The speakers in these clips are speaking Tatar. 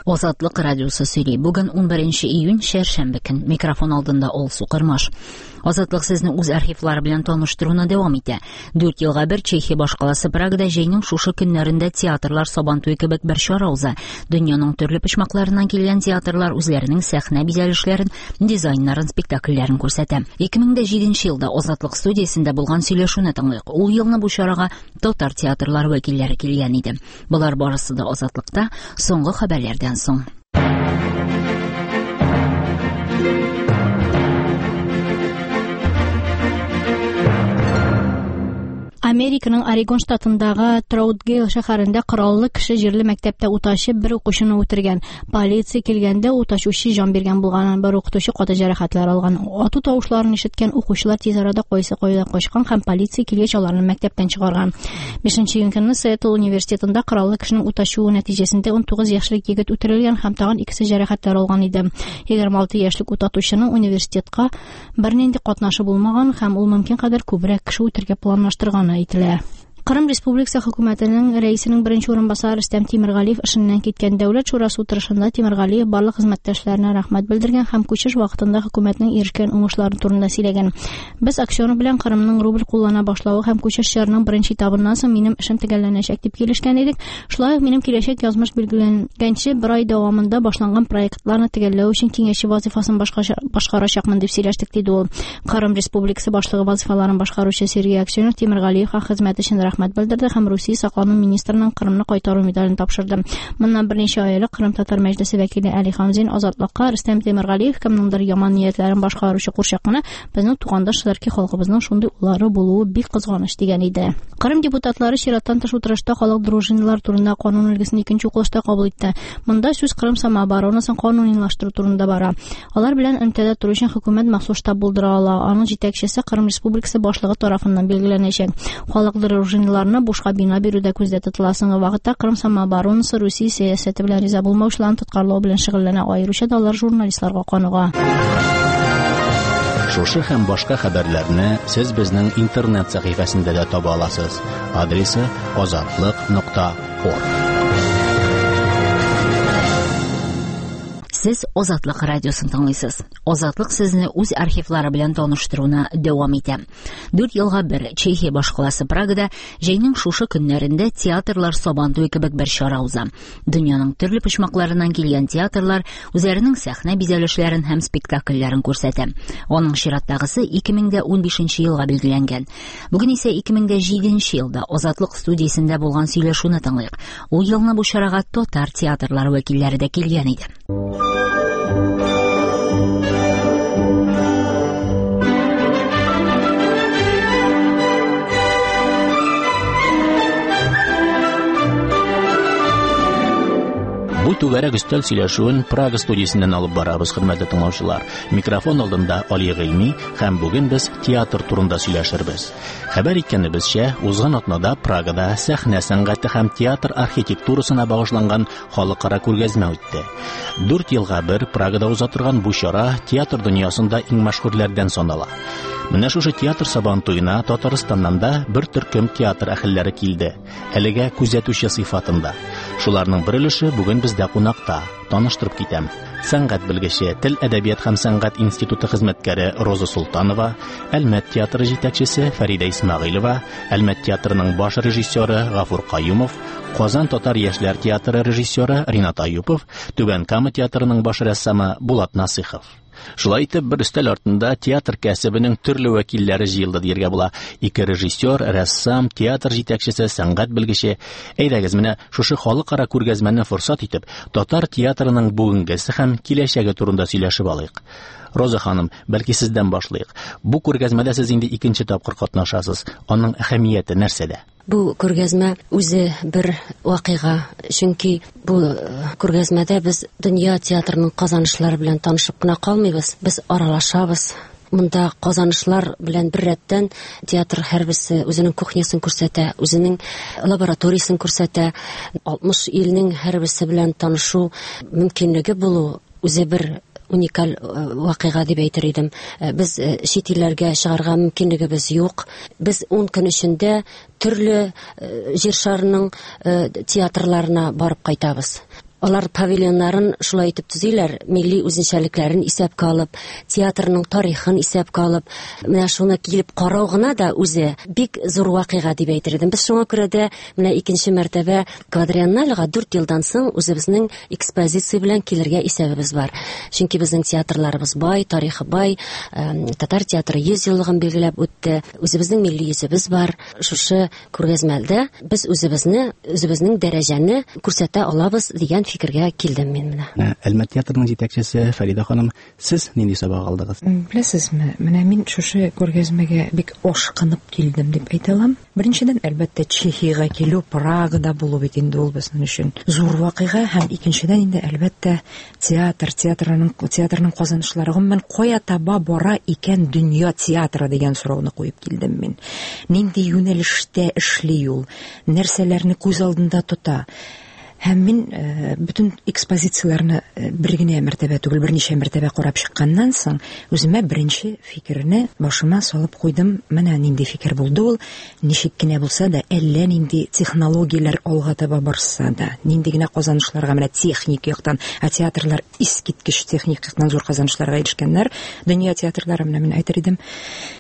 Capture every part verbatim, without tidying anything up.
Азатлык радиосы сөйли. Бүген унберенче июнь, чәршәмбе көн. Микрофон алдында Алсу Кырмаш. Азатлык сезне үз архивлары белән таныштыруны дәвам итә. Дүрт елга бер Чехия башкаласы Прагада җәйнең шушы көннәрендә театрлар Сабантуй кебек бер чара уза. Дөньяның төрле почмакларыннан килгән театрлар үзләренең сәхнә бизәлешләрен, дизайннарын, спектакльләрен күрсәтә. ике мең дә җиденче елда Азатлык студиясендә булган сөйләшүне тыңлыйк. Ул елны бу чарага татар театрлары вәкилләре килгән иде. Болар барысы да Азатлыкта соңгы хәбәрләрдән соң. Американың Орегон штатындагы Троутгейл шәһәрендә кораллы кеше җирле мәктәптә ут ачып бер укучыны үтергән. Полиция килгәндә ут ачучы җан биргән булган, бер укытучы каты җәрәхәтләр алган. Ату тавышларын ишеткән укучылар тиз арада кайсы кайда качкан һәм полиция килгәч аларны мәктәптән чыгарган. Бишенче июнь көнне Сиэтл университетында кораллы кешенең ут ачуы нәтиҗәсендә ун тугыз яшьлек егет үтерелгән һәм тагын икесе җәрәхәтләр алган иде. Егерме алты яшьлек ут атучының университетка бернинди катнашы булмаган һәм ул мөмкин кадәр күбрәк кеше үтерергә планлаштырган әйтелә. Кырым Республикасы хөкүмәтенең рәисенең беренче урынбасары Рөстәм Тимергалиев эшеннән киткән. Дәүләт шурасы утырышында Тимергалиев барлык хезмәттәшләренә рәхмәт белдергән һәм күчеш вакытында хөкүмәтнең ирешкән уңышлары турында сөйләгән. Без Аксенов белән Кырымның рубль куллана башлавы һәм күчеш чорының беренче этабыннан соң минем эшем төгәлләнәчәк дип килешкән идек. Шулай ук минем киләчәк язмыш билгеләнгәнче бер ай дәвамында башланган проектларны төгәлләү өчен киңәшче вазифасын башкарачакмын дип сөйләштек, диде ул. Кырым Республикасы башлыгы вазифаларын башкаручы Сергей Аксенов Тимергалиевка хезмәт өчен рәхмәт белдерде һәм Русия саклану министрының Кырымны кайтару медален тапшырды. Моннан берничә ай элек Кырым татар мәҗлесе вәкиле Али Хамзин Азатлыкка Рөстәм Тимергалиев кемнеңдер яман ниятләрен башкаручы курчак кына, безнең тугандаш төрки халкыбызның шундый уллары булуы бик кызганыч дигән иде. Кырым депутатлары чираттан тыш утырышта халык дружиналар турында канун өлгесен икенче укылышта кабул итте. Монда сүз Кырым самооборонасын канунилаштыру турында бара. Алар белән элемтәдә тору өчен хөкүмәт махсус штаб булдыра ала. Аның җитәкчесе Кырым Республикасы башлыгы тарафыннан билгеләнәчәк. Халык дружиналарына бушка бина бирү дә күздә тотыла. Соңгы вакытта Кырым самооборонасы Русия сәясәте белән риза булмаучыларны тоткарлау белән шөгыльләнә, аеруча да алар журналистларга каныга. Шушы һәм башка хәбәрләрне сез безнең интернет сәхифәсендә дә таба аласыз. Адресы азатлык нокта орг. Сез Азатлык радиосын тыңлыйсыз. Азатлык сезне үз архивлары белән таныштыруны дәвам итә. Дүрт елга бер Чехия башкаласы Прагада җәйнең шушы көннәрендә театрлар Сабантуй кебек бер чара уза. Дөньяның төрле почмакларыннан килгән театрлар үзләренең сәхнә бизәлешләрен һәм спектакльләрен күрсәтә. Аның чираттагысы ике мең дә унбишенче елга билгеләнгән. Бүген исә ике мең дә җиденче елда Азатлык студиясендә булган сөйләшүне тыңлыйк. Ул елны бу чарага татар театрлары вәкилләре дә килгән иде. Бу түгәрәк өстәл сөйләшүен Прага студиясеннән алып барабыз, хөрмәтле тыңлаучылар. Микрофон алдында Али Гыйльми һәм бүген без театр турында сөйләшербез. Хәбәр иткәнебезчә, узган атнада Прагада сәхнә сәнгате һәм театр архитектурасына багышланган халыкара күргәзмә үтте. Дүрт елга бер Прагада уза торган бу чара театр дөньясында иң мәшһүрләрдән санала. Менә шушы театр Сабантуена Татарстаннан да бер төркем театр әһелләре килде. Әлегә күзәтүче сыйфатында. Шуларның бер өлеше бүген бездә кунакта. Таныштырып китәм. Сәнгать белгече, Тел, әдәбият һәм сәнгать институты хезмәткәре Роза Султанова, Әлмәт театры җитәкчесе Фәридә Исмәгыйлева, Әлмәт театрының баш режиссеры Гафур Каюмов, Казан татар яшьләр театры режиссеры Ринат Аюпов, Түбән Кама театрының баш рәссамы Булат Насыйхов. Шулай итеп, бер өстәл артында театр кәсебенең төрле вәкилләре җыелды дияргә була. Ике режиссер, рәссам, театр җитәкчесе, сәнгать белгече. Әйдәгез, менә шушы халыкара күргәзмәне форсат итеп, татар театрының бүгенгесе һәм киләчәге турында сөйләшеп алыйк. Роза ханым, бәлки сездән башлыйк. Бу күргәзмәдә сез инде икенче тапкыр катнашасыз. Аның әһәмияте нәрсәдә? Бу күргәзмә үзе бер вакыйга, чөнки бу күргәзмәдә без дөнья театрының казанышлары белән танышып кына калмыйбыз, без аралашабыз. Монда казанышлар белән бер рәттән театр һәрберсе үзенең кухнясын күрсәтә, үзенең лабораториясын күрсәтә. Алтмыш илнең һәрберсе белән танышу мөмкинлеге булу үзе бер уникаль вакыйга дип әйтер идем. Без чит илләргә чыгарга мөмкинлегебез юк. Без ун көн эчендә төрле җир шарының театрларына барып кайтабыз. Алар павильоннарын шулай итеп төзиләр, милли үзенчәлекләрен исәпкә алып, театрның тарихын исәпкә алып, менә шуны килеп карау гына да үзе бик зур вакыйга дип әйтер идем. Без шуңа күрә дә менә икенче мәртәбә квадриенналега дүрт елдан соң үзебезнең экспозиция белән килергә исәбебез бар. Чөнки безнең театрларыбыз бай, тарихы бай, татар театры йөз еллыгын билгеләп үтте. Үзебезнең милли йөзебез бар. Шушы күргәзмәдә без үзебезне, үзебезнең дәрәҗәне күрсәтә алабыз дигән фикергә килдем мин менә. Әлмәт театрының җитәкчесе Фәридә ханым, сез нинди сабак алдыгыз? Беләсезме, менә мин шушы күргәзмәгә бик ашкынып килдем дип әйтә алам. Беренчедән, әлбәттә, Чехиягә килү, Прагада булу бит инде ул безнең өчен зур вакыйга, һәм икенчедән инде әлбәттә театр, театрның театрның казанышлары, гомумән кая таба бара икән дөнья театры дигән сорауны куеп килдем мин. Нинди юнәлештә эшли ул, нәрсәләрне күз алдында тота. Һәм мин бөтен экспозицияләрне бер генә мәртәбә түгел, берничә мәртәбә карап чыкканнан соң, үземә беренче фикерне башыма салып куйдым. Менә нинди фикер булды ул. Ничек кенә булса да, әллә нинди технологияләр алга таба барса да, нинди генә казанышларга, менә техник яктан, ә театрлар искиткеч техник яктан зур казанышларга ирешкәннәр. Дөнья театрлары, менә мин әйтер идем,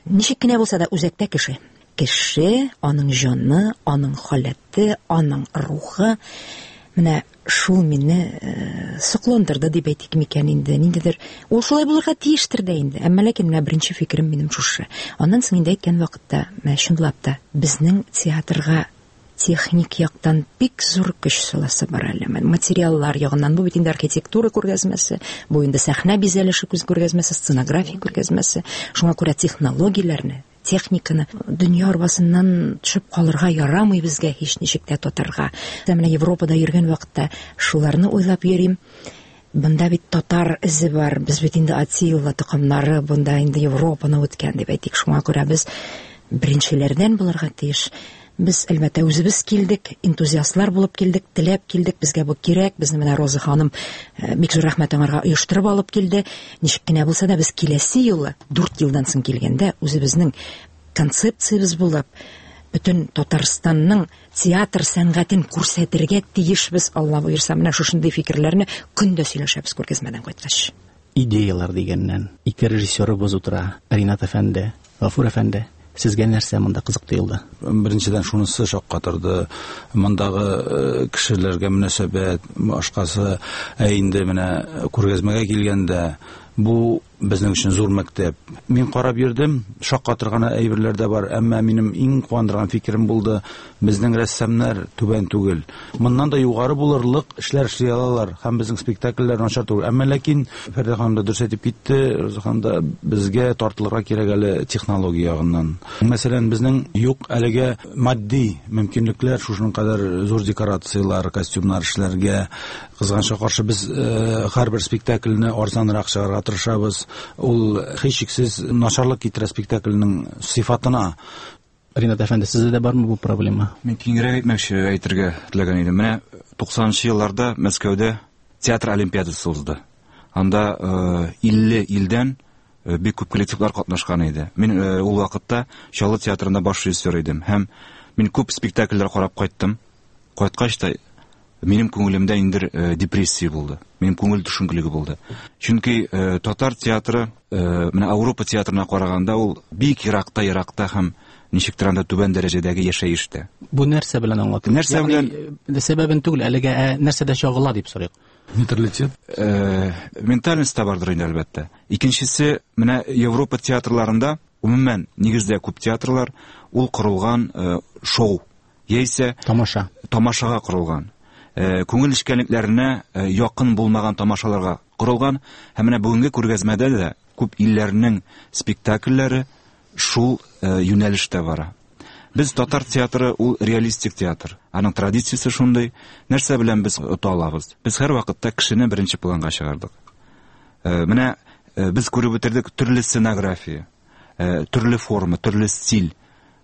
ничек кенә булса да үзәктә кеше. Кеше, аның җаны, аның халәте, аның рухы. Менә шул мине сокландырды дип әйтик микән инде, ниндидер. Ул шулай булырга тиештер дә инде. Әмма ләкин менә беренче фикерем минем шушы. Аннан соң инде әйткән вакытта, менә чынлап та безнең театрга техник яктан бик зур көч саласы бар әле. Материаллар ягыннан, бу бит инде архитектура күргәзмәсе, бу инде сәхнә бизәлеше күргәзмәсе, сценография күргәзмәсе. Шуңа күрә технологияләрне, техниканы дөнья арбасыннан төшеп калырга ярамый безгә һич ничек тә татарга. Менә Европада йөргән вакытта шуларны уйлап йөрим. Бында бит татар эзе бар, без бит инде Атилла токымнары, бында инде Европаны үткән дип әйтик. Шуңа күрә без беренчеләрдән булырга тиеш. Без әлбәттә үзебез килдек, энтузиастлар булып килдек, теләп килдек, безгә бу кирәк. Безне менә Роза ханым бик зур рәхмәт аңарга оештырып алып килде. Ничек кенә булса да без киләсе юлы дүрт елдан соң килгәндә үзебезнең концепциябез булып, бөтен Татарстанның театр сәнгатен күрсәтергә тиешбез, Алла боерса. Менә шушындый фикерләрне көндә сөйләшәбез күргәзмәдән кайткач. Идеялар дигәннән, ике режиссерыбыз утыра, Ринат әфәнде, Гафур әфәнде. Сезгә нәрсә монда кызык тоелды? Беренчедән шунысы шаккатырды. Мондагы кешеләргә мөнәсәбәт, башкасы, ә инде менә күргәзмәгә килгәндә, бу безнең өчен зур мәктәп. Мин карап йөрдем, шаккатырган әйберләр дә бар, әмма минем иң куандырган фикерем булды, безнең рәссамнар түбән түгел. Моннан да югары булырлык эшләр эшли алалар, һәм безнең спектакльләр начар түгел. Әмма ләкин Фәридә ханым да дөрес әйтеп китте, Роза ханым да, безгә тартылырга кирәк әле технология ягыннан. Мәсәлән, безнең юк әлегә матди мөмкинлекләр, шушының кадәр зур декорацияләр, костюмнар эшләргә. Кызганычка каршы без һәрбер спектакльне арзанрак чыгарырга тырышабыз. Ул һичшиксез начарлык китерә спектакльнең сыйфатына. Ринат әфәнде, сездә дә бармы бу проблема? Мин киңрәк әйтмәкче, әйтергә теләгән идем. Менә туксанынчы елларда Мәскәүдә театр олимпиадасы узды. Анда илле илдән бик күп коллективлар катнашкан иде. Мин ул вакытта Чаллы театрында баш режиссер идем һәм мин күп спектакльләр карап кайттым. Кайткач та минем күңелемдә инде депрессия булды. Минем күңел төшенкелеге булды. Чөнки татар театры менә Европа театрына караганда ул бик еракта, еракта һәм ничектер анда түбән дәрәҗәдәге яшәештә. Бу нәрсә белән аңлатыла? Нәрсә белән? Сәбәбен түгел, әлегә нәрсәдә чагыла дип сорыйк. Менталитет. Ментальность та бардыр инде әлбәттә. Икенчесе, менә Европа театрларында, гомумән, нигездә күп театрлар ул корылган шоу, яисә тамаша. Тамашага корылган. Күңел эшкәнлекләренә якын булмаган тамашаларга корылган. Һәм менә бүгенге күргәзмәдә дә күп илләрнең спектакльләре шул юнәлештә бара. Без татар театры ул реалистик театр. Аның традициясе шундый. Нәрсә белән без ота алабыз? Без һәр вакытта кешене беренче планга чыгардык. Менә без күреп бетердек төрле сценография, төрле форма, төрле стиль.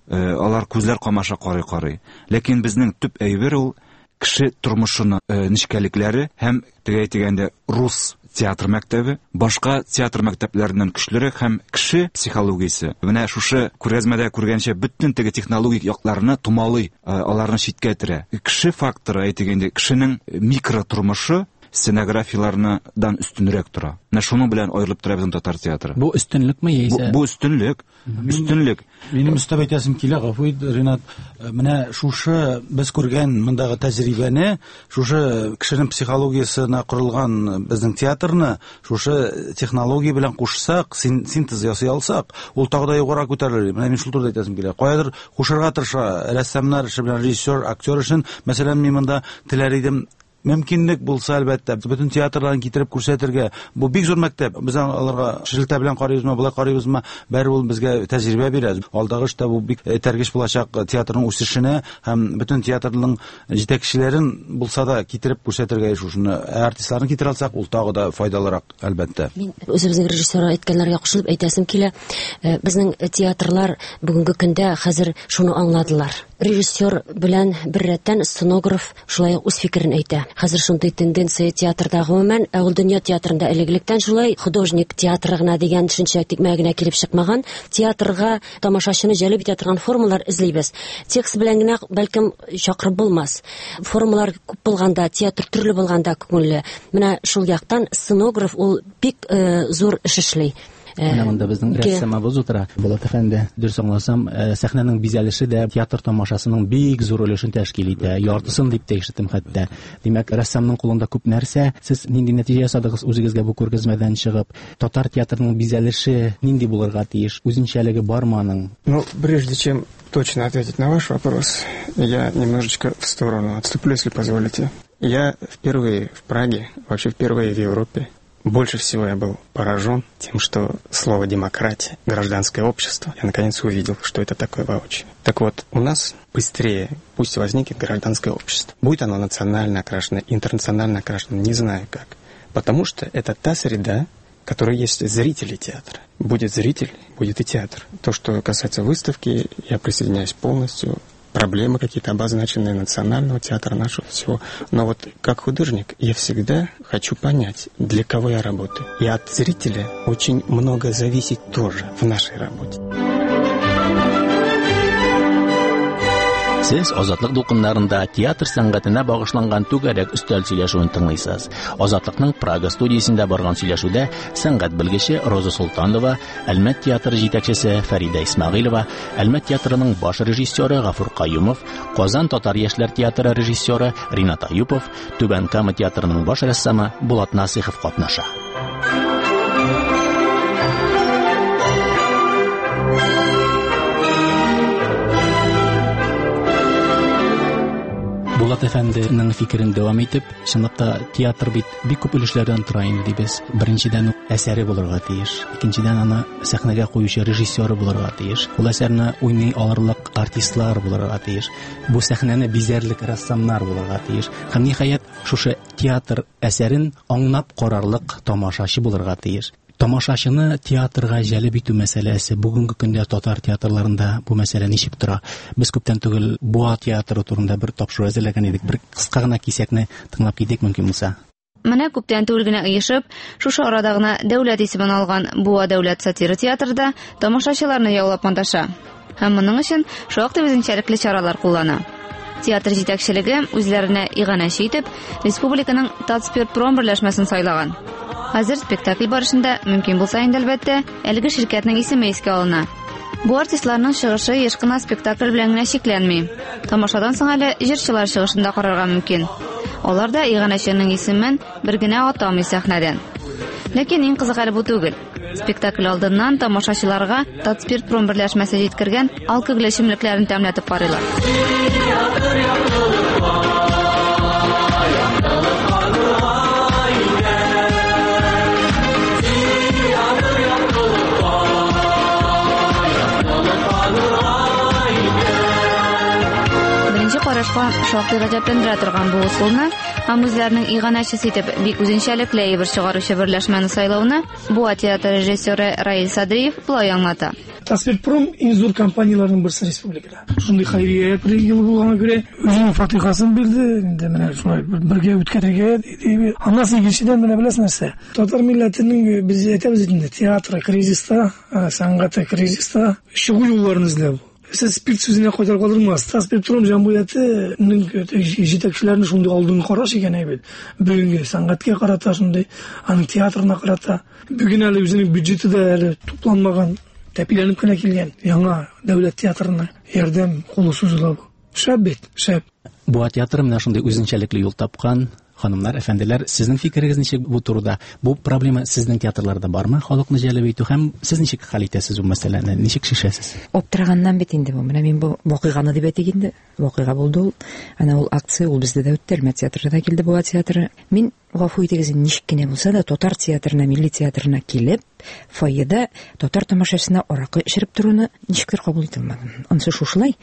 Алар күзләр камаша карый-карый. Ләкин безнең төп әйбер ул кеше тормышының нечкәлекләре һәм теге әйтгәндә рус театр мәктәбе башка театр мәктәпләреннән көчлерәк һәм кеше психологиясе менә шушы күргәзмәдә күргәнчә бөтен теге технологик якларны томалый, аларны читкә этәрә. Кеше факторы, әйтик инде, кешенең микро тормышы сценографиялардан өстенрәк тора. Менә шуның белән аерылып тора безнең татар театры. Бу өстенлекме яисә? Бу, бу өстенлек. Өстенлек. Минем өстәп әйтәсем килә, гафу ит, Ринат, менә шушы без күргән мондагы тәҗрибәне, шушы кешенең психологиясенә корылган безнең театрны, шушы технология белән кушсак, синтез ясый алсак, ул тагы да югарыга күтәрелер. Менә мин шул турыда әйтәсем килә. Каядыр кушарга тырыша рәссамнар эше белән режиссер, актер өчен, мәсәлән, мин монда теләр идем, мөмкинлек булса, әлбәттә, бөтен театрларын китереп күрсәтергә. Бу бик зур мәктәп. Без аларга шелтә белән карыйбызмы, болай карыйбызмы, бәре ул безгә тәҗрибә бирә. Алдагы эштә бу бик этәргеч булачак театрның үсешенә һәм бөтен театрның җитәкчеләрен булса да китереп күрсәтергә, шушыны артистларны китерә алсак, ул тагы да файдалырак, әлбәттә. Мин үзебезнең режиссер әйткәннәргә кушылып әйтәсем килә. Безнең театрлар бүгенге көндә хәзер шуны аңладылар. Режиссер белән беррәттән сценограф шулай ук үз фикерен әйтә. Хәзер шундый тенденция театрда гомумән, ә ул дөнья театрында элек-электән шулай художник театры гына дигән төшенчә тикмә генә килеп чыкмаган. Театрга тамашачыны җәлеп итә торган формалар эзлибез. Текст белән генә бәлкем чакырып булмас. Формалар күп булганда, театр төрле булганда күңелле. Менә шул яктан сценограф ул бик э, зур эш эшли. Менә монда безнең рәссамыбыз утыра. Булат әфәнде, дөрес аңласам, сәхнәнең бизәлеше дә театр тамашасының бик зур өлешен тәшкил итә. Яртысын дип тә ишеттем хәтта. Димәк, рәссамның кулында күп нәрсә. Сез нинди нәтиҗә ясадыгыз үзегезгә бу күргәзмәдән чыгып? Татар театрының бизәлеше нинди булырга тиеш? Үзенчәлеге бармы аның? Ну, прежде чем точно ответить на ваш вопрос, я немножечко в сторону отступлю, если позволите. Я впервые в Праге, вообще впервые в Европе. Больше всего я был поражен тем, что слово «демократия», «гражданское общество», я наконец увидел, что это такое воочию. Так вот, у нас быстрее пусть возникнет гражданское общество. Будет оно национально окрашено, интернационально окрашено, не знаю как. Потому что это та среда, в которой есть зрители театра. Будет зритель, будет и театр. То, что касается выставки, я присоединяюсь полностью. Проблемы какие-то обозначенные национального театра нашего всего. Но вот как художник я всегда хочу понять, для кого я работаю. И от зрителя очень много зависит тоже в нашей работе. Сез Азатлык дулкыннарында театр сәнгатенә багышланган түгәрәк өстәл сөйләшүен тыңлыйсыз. Азатлыкның Прага студиясендә барган сөйләшүдә сәнгать белгече Роза Солтанова, Әлмәт театры җитәкчесе Фәридә Исмәгыйлова, Әлмәт театрының баш режиссеры Гафур Каюмов, Казан татар яшьләр театры режиссеры Ринат Аюпов, Түбән Кама театрының баш рәссамы Булат Насыйхов катнаша. Булат әфәнденең фикерен дәвам итеп, чынлап та театр бит бик күп өлешләрдән тора инде дибез. Беренчедән әсәре булырга тиеш, икенчедән аны сәхнәгә куючы режиссеры булырга тиеш, ул әсәрне уйный алырлык артистлар булырга тиеш, бу сәхнәне бизәрлек рәссамнар булырга тиеш. Һәм ниһаять, шушы театр әсәрен аңлап карарлык тамашачы булырга тиеш. Тамашачыны театрга җәлеп итү мәсьәләсе бүгенге көндә татар театрларында бу мәсьәлә ничек тора? Без күптән түгел Буа театры турында бер тапшыру әзерләгән идек. Бер кыска гына кисәкне тыңлап китик мөмкин булса. Менә күптән түгел генә оешып, шушы арада гына дәүләт исемен алган Буа дәүләт сатира театры тамашачыларны яулап маташа. Һәм моның өчен шактый үзенчәлекле чаралар куллана. Театр җитәкчелеге үзләренә иганәче итеп республиканың Татспиртпром берләшмәсен сайлаган. Хәзер спектакль барышында мөмкин булса инде әлбәттә, әлеге ширкәтнең исеме искә алына. Бу артистларның чыгышы еш кына спектакль белән генә чикләнми. Тамашадан соң әле җырчылар чыгышын да карарга мөмкин. Алар да иганәченең исемен бер генә атамый сәхнәдән. Ләкин иң кызык әле бу түгел. Спектакль алдыннан тамашачыларга Татспиртпром берләшмәсе җиткергән алкоголь эчемлекләрен тәмләтеп карыйлар. Беренче карашка шактый гаҗәпләндерә торган бу ысулны һәм үзләренең иганәчесе итеп бик үзенчәлекле әйбер чыгаручы берләшмәне сайлауны Буа театры режиссеры Раил Садриев болай аңлата. Татспиртпром иң зур компанияләрнең берсе республикада. Шундый хәйрия елы булганга күрә үзенең фатихасын бирде. Инде менә шулай бергә үткәрергә дип. Аннан соң икенчедән менә беләсез нәрсә? Татар милләтенең без әйтәбез инде театры кризиста, сәнгате кризиста, чыгу юлларын эзләү. Сез спирт сүзенә кайтарып калдырмас. Татспиртпром җәмгыятенең җитәкчеләренең шундый алдынгы караш икән әйбәт. Бүгенге сәнгатькә карата шундый, аның театрына карата. Бүген әле үзенең бюджеты да әле тупланмаган, тәпиләнеп кенә килгән яңа дәүләт театрына ярдәм кулы сузыла. Шәп бит, шәп. Буа театры менә шундый үзенчәлекле юл тапкан. Ханымнар, әфәнделәр, сезнең фикерегез ничек бу турыда? Бу проблема сезнең театрларда бармы? Халыкны җәлеп итү һәм сез ничек хәл итәсез бу мәсьәләне? Ничек чишәсез? Аптыраганнан бит инде бу. Менә мин бу вакыйганы дип әйтик инде. Вакыйга булды ул. Әнә ул акция, ул бездә дә үтте. Әлмәт театрында килде Буа театры. Мин гафу итегез, ничек кенә булса да татар театрына, милли театрына килеп, фойеда татар тамашачысына аракы эчереп торуны ничектер кабул итә алмадым. Анысы шушылай.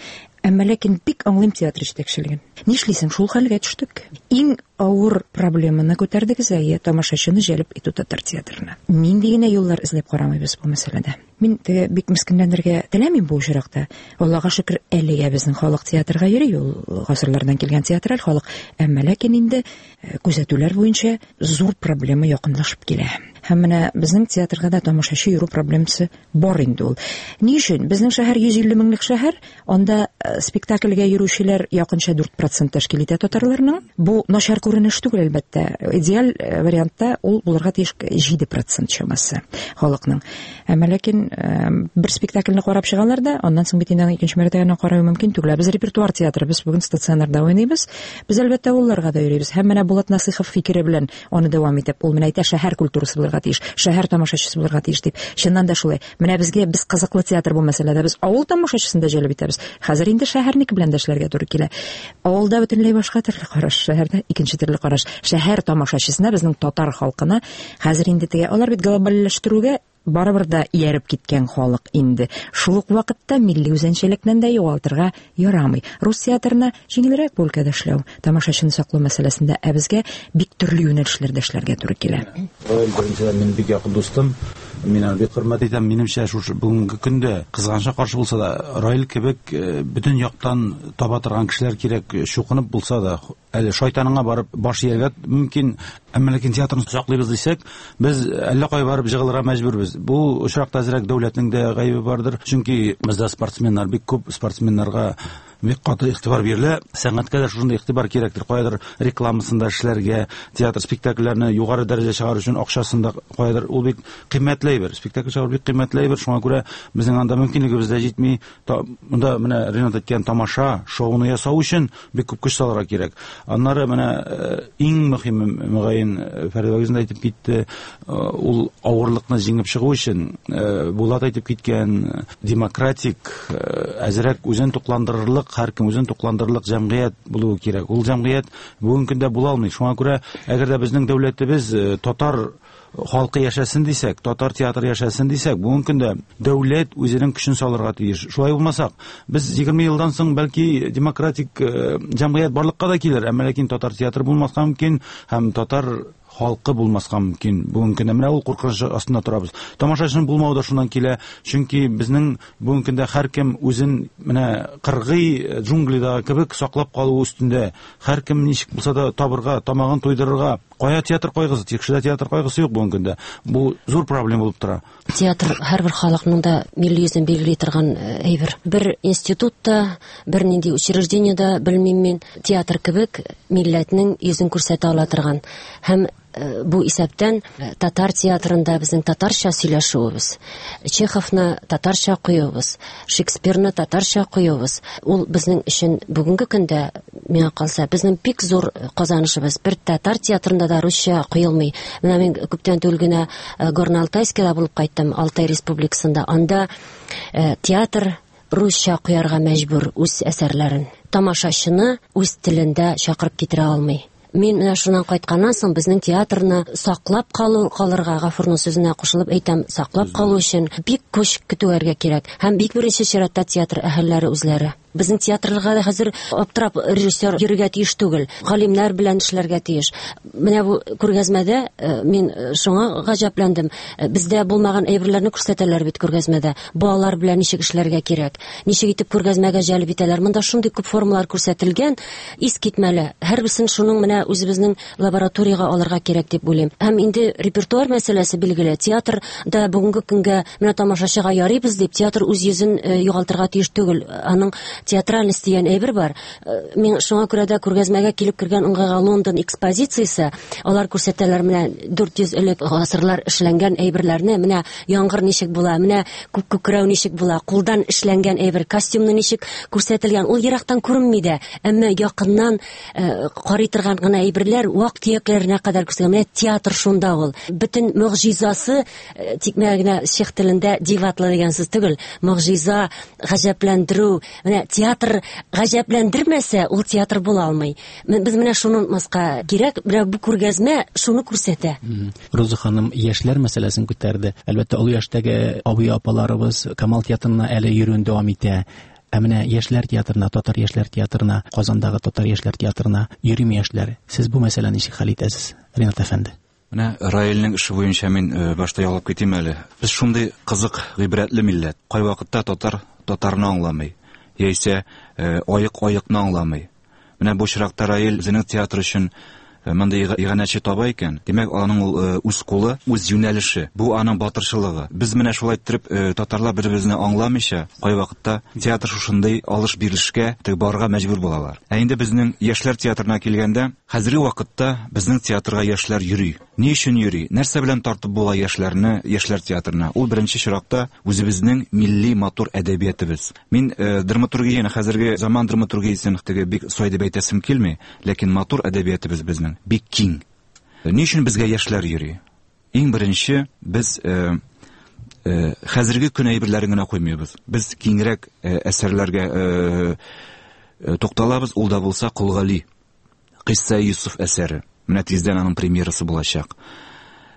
Әмма ләкин бик аңлыйм театр җитәкчелеген. Нишлисең, шул хәлгә төштек. Иң авыр проблеманы күтәрдегез, әйе, тамашачыны җәлеп итү татар театрына. Нинди генә юллар эзләп карамыйбыз бу мәсьәләдә. Мин теге бик мескенләнергә теләмим бу очракта. Аллага шөкер, әлегә безнең халык театрга йөри, ул гасырлардан килгән театраль халык. Әмма ләкин инде күзәтүләр буенча зур проблема якынлашып килә. Һәм менә безнең театрга да тамашачы йөрү проблемасы бар инде ул. Ни өчен? Безнең шәһәр йөз илле меңлек шәһәр, анда спектакльгә йөрүчеләр якынча дүрт процент тәшкил итә татарларның. Бу начар күренеш түгел, әлбәттә. Идеаль вариантта ул булырга тиеш җиде процент чамасы халыкның. Әмма ләкин бер спектакльне карап чыгалар да, аннан соң бит инде икенче мәртәбә карау мөмкин түгел. Без репертуар театры, без бүген стационарда уйныйбыз. Без әлбәттә авылларга да йөрибез. Һәм менә Булат Насыйхов фикере белән аны дәвам итеп, ул менә әйтә, шәһәр культурасы булырга тиеш, шәһәр тамашачысы булырга тиеш дип. Чыннан да шулай. Менә безгә без кызыклы театр бу мәсьәләдә, без авыл тамашачысын да җәлеп итәбез. Хәзер инде шәһәрнеке белән дә эшләргә туры килә. Авылда бөтенләй башка төрле караш, шәһәрдә икенче төрле караш. Шәһәр тамашачысына, безнең татар халкына хәзер инде теге алар бит глобальләштерүгә барыбер да ияреп киткән халык инде. Шул ук вакытта милли үзенчәлекне дә югалтырга ярамый. Рус театрына җиңелрәк бу өлкәдә эшләү, тамашачыны саклау мәсьәләсендә, ә безгә бик төрле юнәлешләрдә эшләргә туры килә. Раил беренчедән минем бик якын дустым. Мин аны бик хөрмәт итәм. Минемчә, шушы бүгенге көндә кызганычка каршы булса да, Раил кебек бөтен яктан таба торган кешеләр кирәк, чукынып булса да, әле шайтаныңа барып баш ияргә мөмкин. Әмма ләкин театрны саклыйбыз дисәк, без әллә кая барып җыгылырга мәҗбүрбез. Бу очракта әзрәк дәүләтнең дә гаебе бардыр. Чөнки бездә спортсменнар бик күп, спортсменнарга бик каты игътибар бирелә. Сәнгатькә дә шушындый игътибар кирәктер. Каядыр рекламасында эшләргә, театр спектакльләрне югары дәрәҗә чыгару өчен акчасын да каядыр, ул бик кыйммәтле әйбер. Спектакль чыгару бик кыйммәтле әйбер. Шуңа күрә безнең анда мөмкинлегебез дә җитми. Монда менә Ренат әйткән тамаша, шоуны ясау өчен бик күп көч салырга кирәк. Аннары менә иң мөһиме, мөгаен, Фәридә үзе дә әйтеп китте, ул авырлыкны җиңеп чыгу өчен Булат әйтеп киткән демократик, әзрәк үзен тукландырырлык, һәркем үзен тукландырырлык җәмгыять булуы кирәк. Ул җәмгыять бүгенге көндә була алмый. Шуңа күрә, әгәр дә безнең дәүләтебез татар халкы яшәсен дисәк, татар театры яшәсен дисәк, бүгенге көндә дәүләт үзенең көчен салырга тиеш. Шулай булмасак, без егерме елдан соң бәлки демократик җәмгыять барлыкка да килер, әмма ләкин татар театры булмаска мөмкин һәм татар халкы булмаска мөмкин. Бүгенге көндә менә ул куркыныч астында торабыз. Тамашачының булмавы да шуннан килә, чөнки безнең бүгенге көндә һәркем үзен менә кыргый джунглидагы кебек саклап калу өстендә. Һәркем ничек булса да табырга, тамагын туйдырырга. Кая театр кайгысы, тикшерә театр кайгысы юк бүгенге көндә. Бу зур проблема булып тора. Театр һәрбер халыкның да милли йөзен билгели торган әйбер. Бер институтта, бер нинди учреждениедә, белмим мин, театр кебек милләтнең йөзен күрсәтә ала торган. Һәм бу исәптән татар театрында безнең татарча сөйләшүебез, Чеховны татарча куюыбыз, Шекспирны татарча куюыбыз, ул безнең өчен бүгенге көндә, миңа калса, безнең бик зур казанышыбыз. Бер татар театрында да русча куелмый. Менә мин күптән түгел генә Горно-Алтайскида булып кайттым, Алтай республикасында. Анда театр русча куярга мәҗбүр үз әсәрләрен. Тамашачыны үз телендә чакырып китерә алмый. Мин менә шуннан кайтканнан соң безнең театрны саклап калу, калырга, Гафурның сүзенә кушылып әйтәм, саклап калу өчен бик көч көтүәргә кирәк. Һәм бик беренче чиратта театр әһелләре үзләре. Безнең театрларга да хәзер аптырап режиссер йөрергә тиеш түгел, галимнәр белән эшләргә тиеш. Менә бу күргәзмәдә мин шуңа гаҗәпләндем. Бездә булмаган әйберләрне күрсәтәләр бит күргәзмәдә. Балалар белән ничек эшләргә кирәк, ничек итеп күргәзмәгә җәлеп итәләр. Монда шундый күп формалар күрсәтелгән, искитмәле. Һәрберсен шуның менә үзебезнең лабораториягә алырга кирәк дип уйлыйм. Һәм инде репертуар мәсьәләсе билгеле. Театрда бүгенге көнгә менә тамашачыга ярыйбыз дип, театр үз йөзен югалтырга тиеш түгел. Аның театральность дигән әйбер бар. Мин шуңа күрә дә күргәзмәгә килеп кергән уңайга Лондон экспозициясе, алар күрсәтәләр менә дүрт йөз элек гасырлар эшләнгән әйберләрне, менә яңгыр ничек була, менә күк күкрәү ничек була, кулдан эшләнгән әйбер, костюмны ничек күрсәтелгән, ул ерактан күренми дә, әмма якыннан карый торган гына әйберләр вак-төякләренә кадәр күрсәтелгән. Менә театр шунда ул. Бөтен могҗизасы тикмә генә чех телендә диватлы дигән сүз түгел, могҗиза, гаҗәпләндерү. Менә театр гаҗәпләндермәсә, ул театр була алмый. Без менә шуны онытмаска кирәк. Менә бу күргәзмә шуны күрсәтә. Роза ханым яшьләр мәсьәләсен күтәрде. Әлбәттә, олы яшьтәге абый-апаларыбыз Камал театрына әле йөрүен дәвам итә. Ә менә яшьләр театрына, татар яшьләр театрына, Казандагы татар яшьләр театрына йөрими яшьләр. Сез бу мәсьәләне ничек хәл итәсез, Ринат әфәнде? Менә Раилнең эше буенча мин башта ялгап китим әле. Без шундый кызык, гыйбрәтле милләт. Кайвакытта татар татарны аңламый, яисә аек аекны аңламый. Менә бу очракта Раил үзенең театр өчен мондый иганәче таба икән, димәк, аның ул үз кулы, үз юнәлеше, бу аның батырчылыгы. Без менә шулай иттереп татарлар бер-беребезне аңламыйча, кайвакытта театр шушындый алыш-бирешкә барырга мәҗбүр булалар. Ә инде безнең яшьләр театрына килгәндә, хәзерге вакытта безнең театрга яшьләр йөри. Ни өчен йөри? Нәрсә белән тартып була яшьләрне яшьләр театрына? Ул беренче чиракта үзебезнең милли матур әдәбиятыбыз. Мин драматургияне, хәзерге заман драматургиясен теге бик сай дип әйтәсем килми, ләкин матур әдәбиятыбыз безнең бик киң. Ни өчен безгә яшьләр йөри? Иң беренче без э, э, хәзерге көн әйберләрен генә куймыйбыз. Без киңрәк э, әсәрләргә э, э, тукталабыз. Ул да булса Кол Гали, Кыйсса Юсуф әсәре. Менә тиздән аның премьерасы булачак.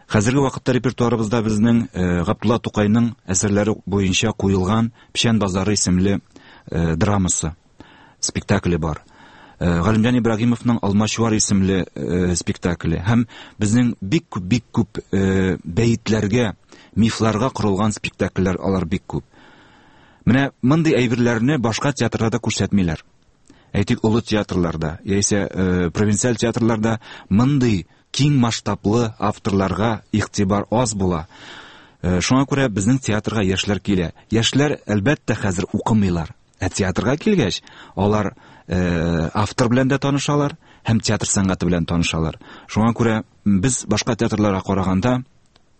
Хәзерге вакытта репертуарыбызда безнең э, Габдулла Тукайның әсәрләре буенча куелган Печән базары исемле э, драмасы, спектакле бар. Галимҗан Ибраһимовның Алмачуар исемле э, спектакле һәм безнең бик күп бик күп э, бәетләргә, мифларга корылган спектакльләр, алар бик күп. Менә мондый әйберләрне башка театрларда күрсәтмиләр. Әйтик, олы театрларда, яисә э, провинциаль театрларда мондый киң масштаблы авторларга игътибар аз була. Э, шуңа күрә безнең театрга яшьләр килә. Яшьләр, әлбәттә, хәзер укымыйлар. Ә театрга килгәч, алар э, автор белән дә танышалар һәм театр сәнгате белән танышалар. Шуңа күрә без башка театрларга караганда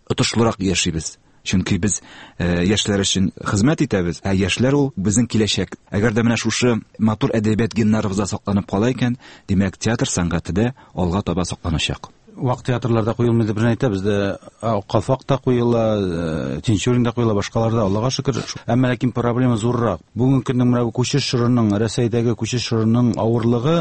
отышлырак яшибез. Чөнки без э, яшьләр өчен хезмәт итәбез, ә яшьләр ул безнең киләчәк. Әгәр дә менә шушы матур әдәбият геннарыбызда сакланып кала икән, димәк, театр сәнгате дә алга таба сакланачак. Вак театрларда куелмый дип әйтә, бездә Калфак та куела, Тинчурин да куела, башкалар да, Аллага шөкер. Әмма ләкин проблема зуррак. Бүгенге көннең менә бу күчеш чорының, Рәсәйдәге күчеш чорының авырлыгы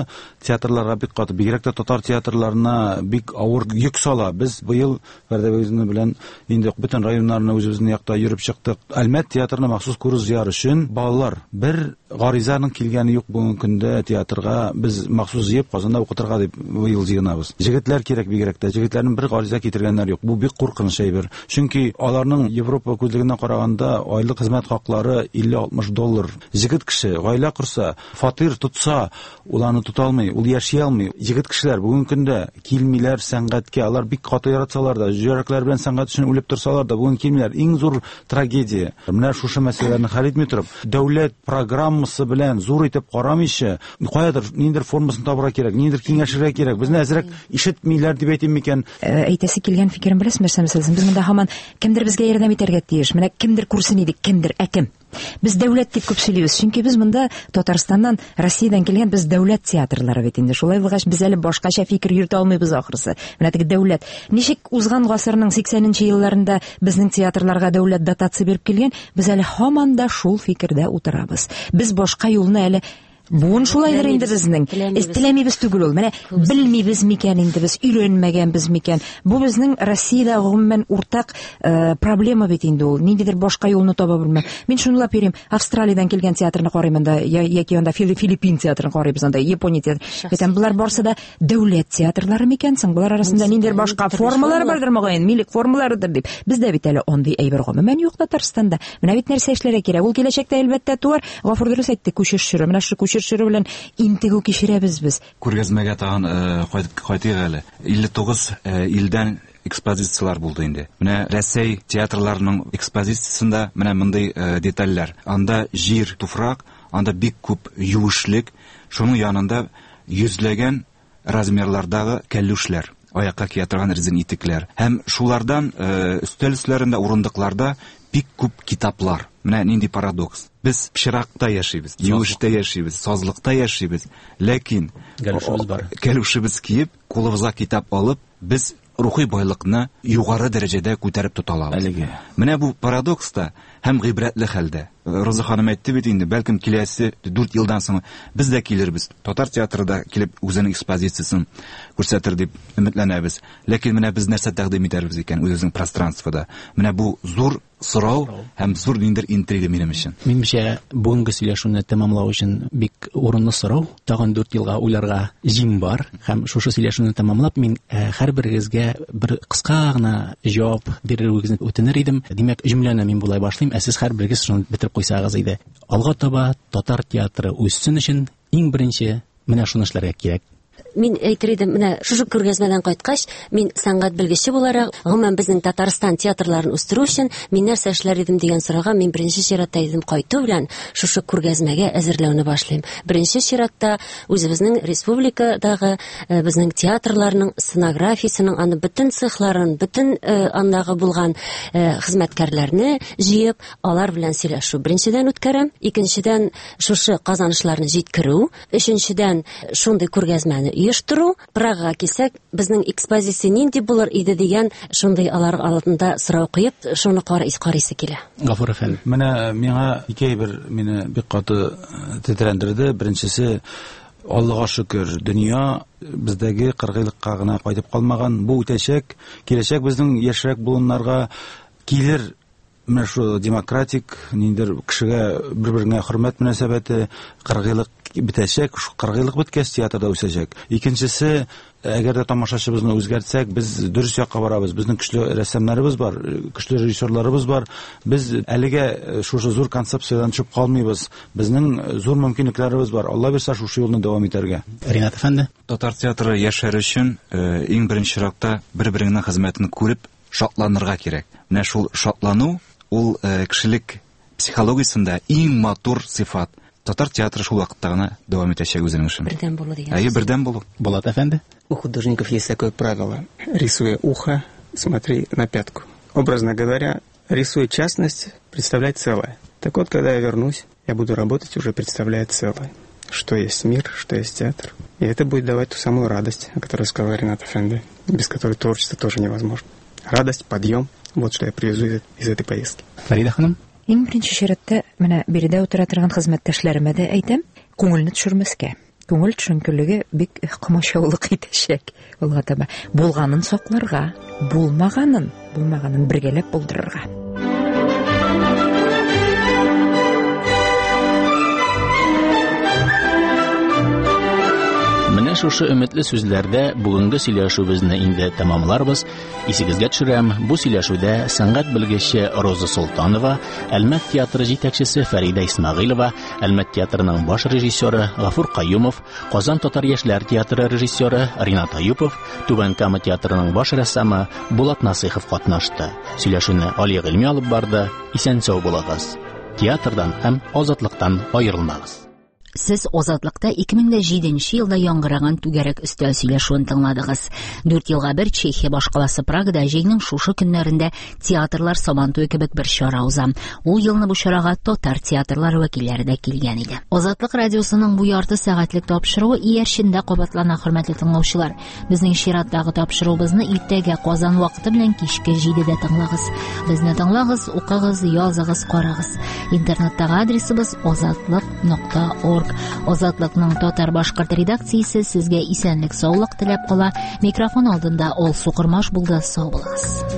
театрларга бик каты, бигрәк тә татар театрларына бик авыр йөк сала. Без быел Фәрдәбегезне белән инде бөтен районнарны үзебезнең якта йөреп чыктык. Әлмәт театрына махсус курс җыяр өчен балалар бер гаризаның килгәне юк бүгенге көндә театрга. Без махсус җыеп Казанда укытырга дип быел җыенабыз. Җегетләр кирәк бигрәк тә. Җегетләрнең бер гариза китергәннәр юк. Бу бик куркыныч әйбер. Чөнки аларның Европа күзлегеннән караганда айлык хезмәт хаклары илле-алтмыш доллар. Җегет кеше гаилә корса, фатир тотса, ул аны тота алмый, ул яши алмый. Җегет кешеләр бүгенге көндә килмиләр сәнгатькә. Алар бик каты яратсалар да, йөрәкләр белән сәнгать өчен үлеп торсалар да, бүген килмиләр. Иң зур трагедия. Менә шушы мәсьәләләрне хәл итми торып, дәүләт программасы белән зур итеп карамыйча, каядыр ниндер формасын табырга кирәк, ниндер киңәшергә кирәк. Безне әзрәк ишетмиләр дип әйтим микән? Әйтәсе килгән фикерем беләсезме, нәрсә мәсьәләсен? Без монда һаман кемдер безгә ярдәм итәргә тиеш. Менә кемдер күрсен иде, кемдер, ә кем? Без дәүләт дип күп сөйлибез, чөнки без монда Татарстаннан, Россиядән килгән без дәүләт театрлары бит инде. Шулай булгач, без әле башкача фикер йөртә алмыйбыз ахрысы. Менә теге дәүләт. Ничек узган гасырның сиксәненче елларында безнең театрларга дәүләт дотация биреп килгән, без әле һаман да шул фикердә утырабыз. Без башка юлны әле Буын шулайдыр инде безнең. Теләмибез түгел ул. Менә белмибез микән инде без, өйрәнмәгәнбез микән? Бу безнең Россиядә гомумән уртак проблема бит инде ул. Ниндидер башка юлны таба белмәм. Мин шунлап йөрим. Австралиядән килгән театрны карыйм анда, яки анда Филиппин театрын карыйбыз анда, Япония театры. Әйтәм, болар барсы да дәүләт театрлары микән соң? Болар арасында ниндидер башка формалар бардыр мөгаен, милек формаларыдыр дип. Бездә бит әле андый әйбер гомумән юк Татарстанда. Менә бит нәрсә эшләргә кирәк. Ул киләчәктә әлбәттә туар. Гафур дөрес әйтте, күчеш чоры. Менә шу күчеш чоры белән интегү кичерәбез без. Күргәзмәгә тагын кайтып кайтыйк әле. илле тугыз илдән экспозициялар булды инде. Менә Рәсәй театрларының экспозициясендә менә мондый детальләр. Анда җир, туфрак, анда бик күп юешлек, шуның янында йөзләгән размерлардагы кәлүшләр, аякка кия торган резин итекләр. Һәм шулардан өстәл өсләрендә, урындыкларда бик күп китаплар. Менә нинди парадокс. Без пычракта яшибез, юештә яшибез, сазлыкта яшибез, ләкин кәлүшебез бар. Кәлүшебез киеп, кулыбызга китап алып, без рухи байлыкны югары дәрәҗәдә күтәреп тота алабыз. Әлеге. Менә бу парадокс та һәм гыйбрәтле хәлдә. Роза ханым әйтте бит инде, бәлкем киләсе дүрт елдан соң без дә килербез. Татар театры да килеп үзенең экспозициясын күрсәтер дип өметләнәбез. Ләкин менә без нәрсә тәкъдим итәрбез икән үзебезнең пространствода? Менә бу зур сорау һәм зур ниндидер интрига минем өчен. Минемчә, бүгенге сөйләшүне тәмамлау өчен бик урынлы сорау. Тагын дүрт елга уйларга җим бар. Һәм шушы сөйләшүне тәмамлап, мин һәрберегезгә бер кыска гына җавап бирүегезне үтенер идем. Димәк, җөмләне мин болай башлыйм, ә сез һәрберегез шуны бетереп куйсагыз иде. Алга таба татар театры үссен өчен иң беренче менә шуны эшләргә кирәк. Мин әйтер идем, менә шушы күргәзмәдән кайткач, мин сәнгать белгече буларак, гомумән безнең Татарстан театрларын үстерү өчен мин нәрсә эшләр идем дигән сорауга мин беренче чиратта идем кайту белән шушы күргәзмәгә әзерләүне башлыйм. Беренче чиратта үзебезнең республикадагы безнең театрларның сценографиясының аны бөтен цехларын, бөтен андагы булган хезмәткәрләрне җыеп, алар белән сөйләшү беренчедән үткәрәм, икенчедән шушы казанышларны җиткерү, өченчедән шундый күргәзмәне оештыру. Прагага килсәк, безнең экспозиция нинди булыр иде дигән шундый алар алдында сорау куеп, шуны карыйсы килә. Гафур әфәнде. Менә миңа ике әйбер мине бик каты тетрәндерде. Беренчесе, Аллага шөкер, дөнья бездәге кыргыйлыкка гына кайтып калмаган. Бу үтәчәк, киләчәк безнең яшьрәк буыннарга килер. Менә шу демократик ниндидер кешегә бер-береңә хөрмәт мөнәсәбәте, кыргыйлык бетәчәк, шу кыргыйлык беткәч театрда үсәчәк. Икенчесе, әгәр дә тамашачыбызны үзгәртсәк, без дөрес якка барабыз. Безнең көчле рәссамнарыбыз бар, көчле режиссерларыбыз бар. Без әлегә шушы зур концепциядән төшеп калмыйбыз. Безнең зур мөмкинлекләребез бар. Алла бирсә, шушы юлны дәвам итәргә. Ринат әфәнде, татар театры яшәр өчен иң беренче чиратта бер-береңнең хезмәтен күреп шатланырга кирәк. Менә шул шатлану ул кешелек психологиясендә иң матур сыйфат. Татар театры шул вакытта гына дәвам итәчәк үзенең эшен. Бердәм булу дигән. Әйе, бердәм булу. Булат әфәнде. У художников есть такое правило: рисуя ухо, смотри на пятку. Образно говоря, рисуя частность, представляй целое. Так вот, когда я вернусь, я буду работать уже представляя целое. Что есть мир, что есть театр. И это будет давать ту самую радость, о которой сказал Ринат әфәнде, без которой творчество тоже невозможно. Радость, подъем. Вот что я привезу из, из этой поездки. Фарида ханым. Иң беренче чиратта менә биредә утыра торган хезмәттәшләремә дә әйтәм, күңелне төшермәскә. Күңел төшенкелеге бик комачаулык итәчәк. Алга таба булганын сакларга, булмаганын, булмаганын бергәләп булдырырга. Менә шушы өметле сүзләрдә бүгенге сөйләшүебезне инде тәмамларбыз. Исегезгә төшерәм, бу сөйләшүдә сәнгать белгече Роза Солтанова, Әлмәт театры җитәкчесе Фәридә Исмәгыйлова, Әлмәт театрының баш режиссеры Гафур Каюмов, Казан татар яшьләр театры режиссеры Ринат Аюпов, Түбән Кама театрының баш рәссамы Булат Насыйхов катнашты. Сөйләшүне Али Гыйльми алып барды. Исән-сау булыгыз. Театрдан һәм азатлыктан аерылмагыз. Сез Азатлыкта ике мең дә җиденче елда яңгыраган түгәрәк өстәл сөйләшүен тыңладыгыз. Дүрт елга бер Чехия башкаласы Прагада җәйнең шушы көннәрендә театрлар Сабантуе кебек бер чара уза. Ул елны бу чарага татар театрлары вәкилләре дә килгән иде. Азатлык радиосының бу ярты сәгатьлек тапшыруы иярчендә кабатлана, хөрмәтле тыңлаучылар. Безнең чираттагы тапшыруыбызны иртәгә Казан вакыты белән кичке җидедә тыңлагыз. Безне тыңлагыз, укыгыз, языгыз, карагыз. Интернеттагы адресыбыз азатлык нокта орг. орг. Азатлыкның татар-башкорт редакциясе сезгә исәнлек, саулык теләп кала. Микрофон алдында Алсу Кормаш булды. Сау булыгыз.